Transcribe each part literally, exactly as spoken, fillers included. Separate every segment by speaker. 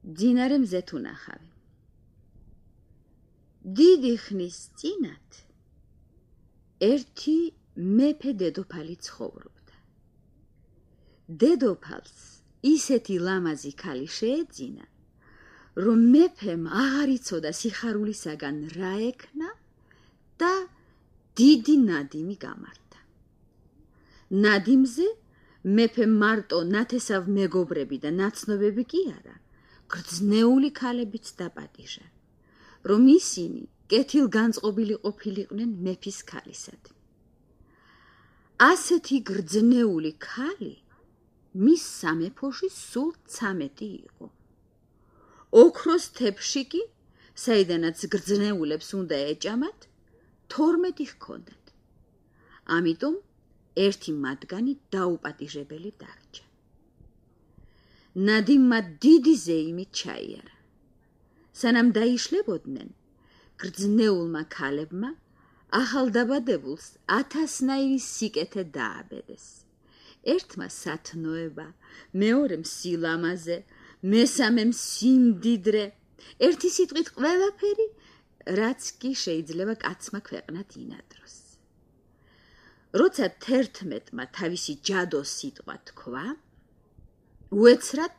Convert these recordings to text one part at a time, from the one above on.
Speaker 1: მძინარე მზეთ უნახავი. დიდი ხნის წინათ ერთი მეფე დედოფალი ცხოვრობდა. დედოფალს ისეთი ლამაზი ქალი შეეძინა, რომ მეფემ აღარ იცოდა სიხარულისაგან რა ექნა და დიდი ნადიმი გამართა. ნადიმზე მეფემ მარტო ნათესავ მეგობრები და ნაცნობები კი არა, გრძნეული ქალებიც დაპატიჟა, რომ ისინი კეთილგანწყობილი ყოფილიყვნენ მეფის ქალისადმი. ასეთი გრძნეული ქალი მის სამეფოში სულ ცამეტი იყო. ოქროს თეფში კი, საიდანაც გრძნეულებს უნდა ეჭამათ, თორმეტი ჰქონდათ. ამიტომ ერთი მათგანი დაუპატიჟებელი დარჩა. ნადიმმა დიდი ზეიმით ჩაიარა. სანამ დაიშლებოდნენ, გრძნეულმა ქალებმა ახალდაბადებულს ათასნაირი სიკეთე დააბედეს. ერთმა სათნოება, მეორემ სილამაზე, მესამემ სიმდიდრე, ერთი სიტყვით ყველაფერი, რაც კი შეიძლება კაცმა ქვეყნად ინადროს. როცა თერთმეტმა თავისი ჯადოს სიტყვა თქვა, უეცრად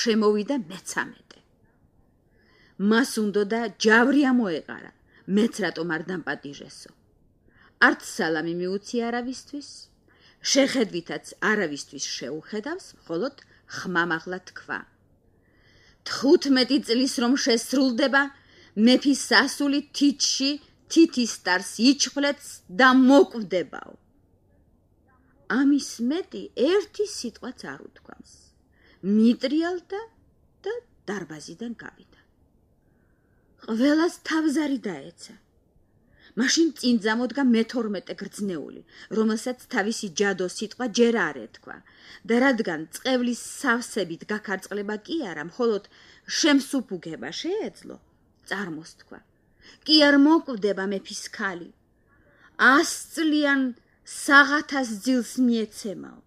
Speaker 1: შემოვიდა მეცამეტე. მას უნდოდა ჯავრი ამოეყარა, მეც რატომ არ დამპატიჟესო. არც სალამი მიუცი არავისთვის, შეხედვითაც არავისთვის შეუხედავს, მხოლოდ ხმამაღლა თქვა. თხუთმეტი წლის რომ შესრულდება, მეფის სასული თითში თითის სტარს იჩხვლეთს და მოკვდებაო. ამის მეტი ერთი სიტყვაც არ უთქვამს. მიტრიალდა და დარბაზიდან გავიდა. ყველას თავზარი დაეცა. მაშინ წინ წამოდგა მეთორმეტე გრძნეული, რომელსაც თავისი ჯადოს სიტყვა ჯერ არ ეთქვა და რადგან წყევლის სავსებით გაქარწყლება კი არა, მხოლოდ შემსუფუგება შეეძლო, წარმოსთქვა. კი არ მოკვდება მეფის ქალი. ასწლიან საღათას ძილს მიეცემაო.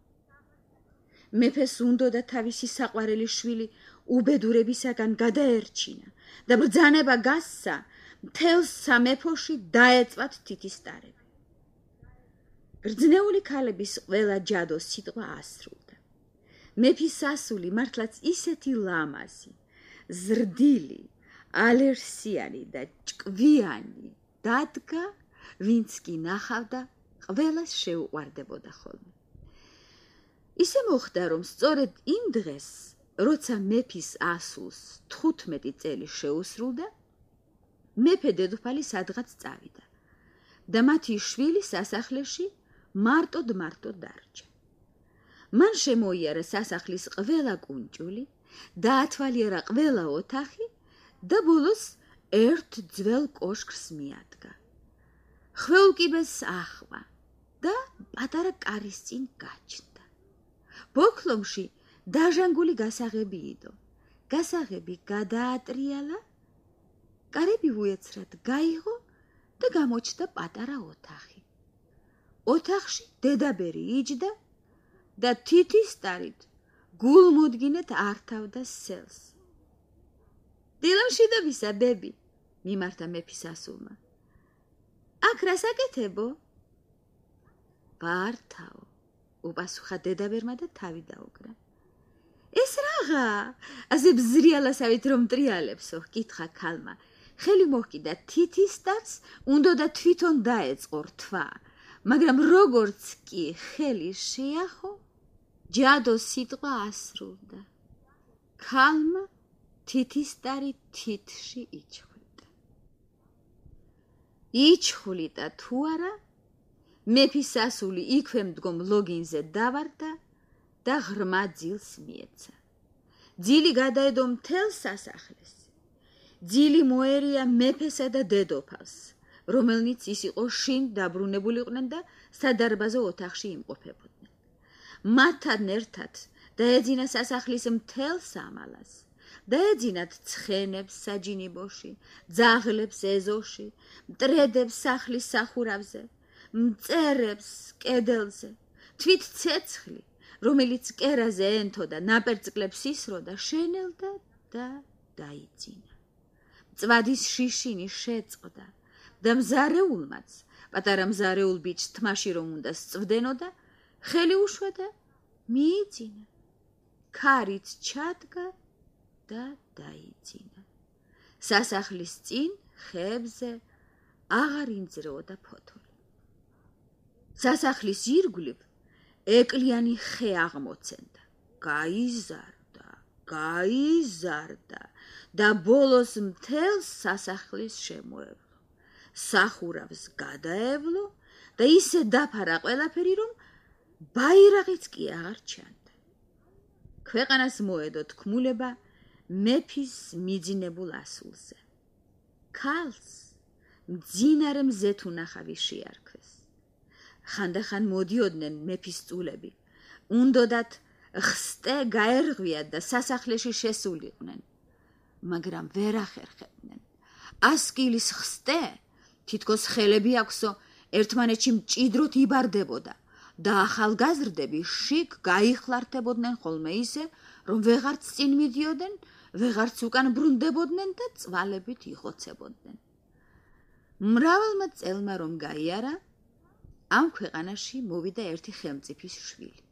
Speaker 1: მეფეს უნდოდა თავისი საყვარელი შვილი უბედურებისაგან გადაერჩინა და ბრძანება გასცა, მთელ სამეფოში დაეწვათ თითისტარები. გრძნეული ქალების ყველა ჯადოს სიტყვა ასრულდა. მეფის სასული მართლაც ისეთი ლამაზი, ზრდილი, ალერსიანი და ჭკვიანი დადგა, ვინც კი ნახავდა, ყველას შეუყვარდებოდა ხოლმე. ისე მოხდა, რომ სწორედ იმ დღეს, როცა მეფის ასულს თხუთმეტი წელი შეუსრულდა, მეფე დედოფალი სადღაც წავიდა და მათი შვილი სასახლეში მარტოდ-მარტოდ დარჩა. მან შემოიარა სასახლის ყველა კუნჭული, დაათვალიერა ყველა ოთახი და ბოლოს ერთ ძველ კოშკს მიადგა. ხვეულკიბეს ახვა და პატარა კარის წინ გაჩნდა. ბოქლომში დაჟანგული გასაღები იდო. გასაღები გადაატრიალა, კარები უეცრად გაიღო და გამოჩნდა პატარა ოთახი. ოთახში დედაბერი იჯდა და თითისტარით გულმოდგინედ ართავდა სელს. დილამშვიდობისა, ბები, მიმართა მეფის ასულმა. აქ რა საკეთებო? ბართავ, უპასუხა დედაბერმა და თავი დაუკრა. ეს რაღა, ასე ბზრიალასავით რომ ტრიალებსო, ჰკითხა ქალმა. ხელი მოჰკიდა თითისტარს, უნდოდა თვითონ დაეწყო რთვა, მაგრამ როგორც კი ხელი შეახო, ჯადოს სიტყვა ასრულდა. ქალმა თითისტარი თითში იჩხვლიტა. იჩხვლიტა თუ არა, მეფის სასული იქვე მდგომ ლოგინზე დავარდა და ღრმა ძილს მიეცა. ძილი გადაედო მთელ სასახლეს. ძილი მოერია მეფესა და დედოფალს, რომელნიც ის იყო შინ დაბრუნებულიყვნენ და სადარბაზო ოთახში იმყოფებოდნენ. მათთან ერთად დაეძინა სასახლის მთელ სამალას, დაეძინათ ცხენებს საჯინიბოში, ძაღლებს ეზოში, მტრედებს სახლის სახურავზე, მწერებს კედელზე, თვით ცეცხლი, რომელიც კერაზე ენტო და ნაპერწკლებს ისროდა, შენელდა და დაიძინა. მწვადის შიშინი შეწყდა და მზარეულმაც, პატარა მზარეულ ბიჭს თმაში რომ უნდა სწვდენო და ხელი უშვა და მიიძინა. ქარით ჩადგა და დაიძინა. სასახლის წინ ხებზე აღარ ინძრეოდა ფოთოლი. სასახლის ირგვლივ ეკლიანი ხე აღმოცენდა. გაიზარდა, გაიზარდა და ბოლოს მთელს სასახლის შემოევლო. სახურავს გადაევლო და ისე დაფარა ყველაფერი, რომ ბაირაღიც კი აღარ ჩანდა. ქვეყანას მოედო თქმულება მეფის მიძინებულ ასულზე. ქალს მძინარე მზეთუნახავი შეარქვეს. ხანდახან მოდიოდნენ მეფის წულები, უნდოდათ ხსტე გაერღვიათ და სასახლეში შესულიყვნენ, მაგრამ ვერ ახერხებდნენ. ასკილის ხსტე თითქოს ხელები აქვსო, ერთმანეთში მჭიდროდ იბარდებოდა და ახალგაზრდები შიგ გაიხლართებოდნენ ხოლმე ისე, რომ ვეღარც წინ მიდიოდნენ, ვეღარც უკან ბრუნდებოდნენ და წვალებით იხოცებოდნენ. მრავალმა წელმა რომ გაიარა, ამ ქვეყანაში მოვიდა ერთი ხელმწიფის შვილი.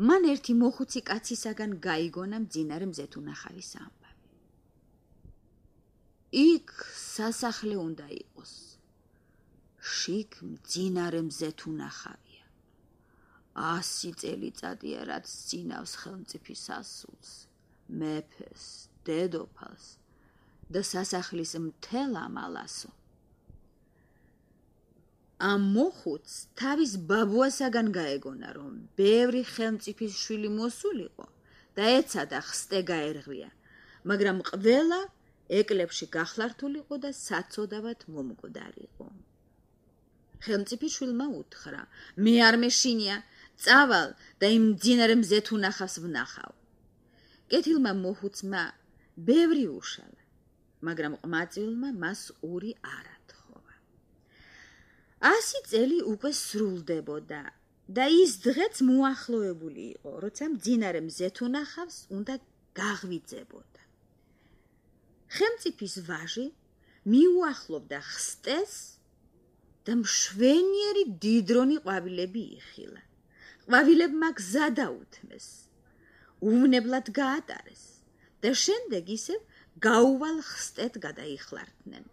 Speaker 1: მან ერთი მოხუცი კაცისაგან გაიგონა მძინარე მზეთუნახავის ამბავი. იქ სასახლე უნდა იყოს. შიგ მძინარე მზეთუნახავია. ასი წელიწადია, რაც ძინავს ხელმწიფის ასულს, მეფეს, დედოფალს და სასახლის მთელ ამალასო. ამ მოხუც თავის ბაბუასაგან გაეგონა, რომ ბევრი ხელმწიფის შვილი მოსულიყო და ეცადა ხსტე გაერღვია, მაგრამ ყველა ეკლებში გახლართულიყო და საცოდავად მომკვდარიყო. ხელმწიფის შვილმა უთხრა, მე არ მეშინია, წავალ და იმ მძინარე მზეთუნახავს ვნახავ. კეთილმა მოხუცმა ბევრი უშალა, მაგრამ ყმაწვილმა მას ური არ ათხოვა. ასი წელი უკვე სრულდებოდა და ის დღეც მოახლოებული იყო, როცა მძინარე მზეთუნახავს უნდა გაღვიძებოდა. ხელმწიფის ვაჟი მიუახლოვდა ხსტეს და მშვენიერი დიდრონი ყვავილები იხილა. ყვავილებმა გზა დაუთმეს, უვნებლად გაატარეს და შემდეგ ისევ გაუვალ ხსტეთ გადაიხლართნენ.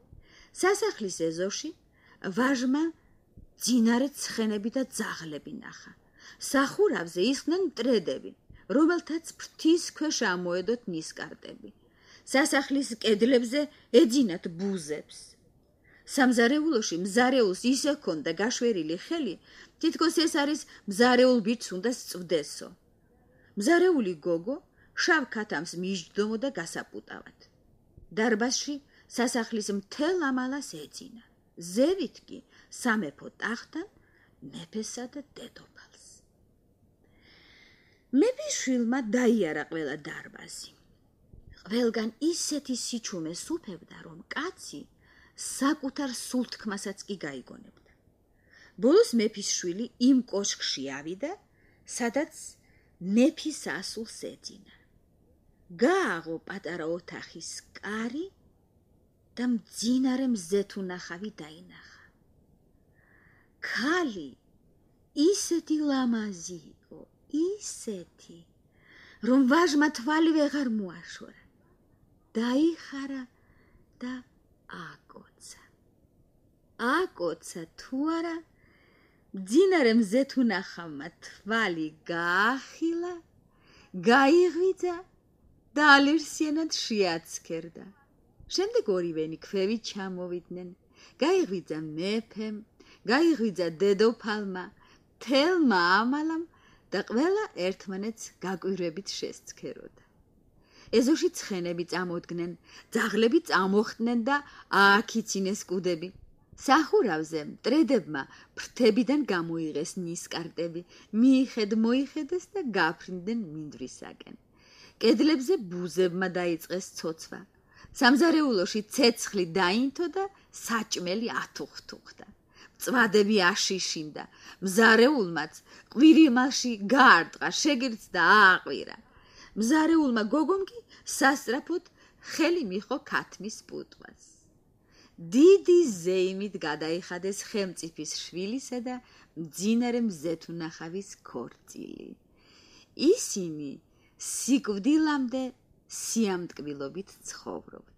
Speaker 1: სასახლის ეზოში ვაჟმა ძინარე ცხენები და ძაღლები ნახა. სახურავზე ისხდნენ მტრედები, რომელთაც ფრთის ქვეშ ამოედოთ ნისკარტები. სასახლის კედლებზე ეძინათ ბუზებს. სამზარეულოში მზარეულს ისე ჰქონდა გაშვერილი ხელი, თითქოს ეს არის მზარეულ ბიჭს უნდა სწვდესო. მზარეული გოგო შავ ქათამს მიჯდომოდა გასაპუტავად. დარბაზში სასახლის მთელ ამალას ეძინა. ზევით კი სამეფო ტახტთან მეფესა და დედოფალს. მეფის შვილმა დაიარა ყველა დარბაზი. ყველგან ისეთი სიჩუმე სუფევდა, რომ კაცი საკუთარ სულთქმასაც კი გაიგონებდა. ბოლოს მეფის შვილი იმ კოშკში ავიდა, სადაც მეფის ასულს ეძინა. გააღო პატარა ოთახის კარი და მძინარე მზეთუნახავი დაინახა. ქალი ისეთი ლამაზი იყო, ისეთი, რომ ვაჟმა თვალი ვეღარ მოაშორა. დაიხარა და აკოცა. აკოცა თუ არა, მძინარე მზეთუნახავმა თვალი გაახილა, გაიღვიძა და ალერსიანად შეაცქერდა. შემდეგ ორივენი ქვევით ჩამოვიდნენ. გაიღვიძა მეფემ, გაიღვიძა დედოფალმა, თელმა ამალამ და ყველა ერთმანეთს გაკვირვებით შესცქეროდა. ეზოში ცხენები წამოდგნენ, ძაღლები წამოხდნენ და ააქიცინეს კუდები. სახურავზე მტრედებმა ფრთებიდან გამოიღეს ნისკარტები, მიიხედ მოიხედეს და გაფრინდნენ მინდვრისაკენ. კედლებზე ბუზებმა დაიწყეს ცოცვა. სამზარეულოში ცეცხლი დაინთო და საჭმელი ათუხთუხდა. მწვადები აშიშინდა, მზარეულმაც ყვირიმაში გაარტყა, შეგირც და ააყვირა. მზარეულმა გოგომ კი სასწრაფოდ ხელი მიხო ქათმის პუტყვას. დიდი ზეიმით გადაიხადეს ხელმწიფის შვილისა და მძინარე მზეთუნახავის ქორწილი. ისინი სიკვდილამდე სიამტკბილობით ცხოვრობდნენ.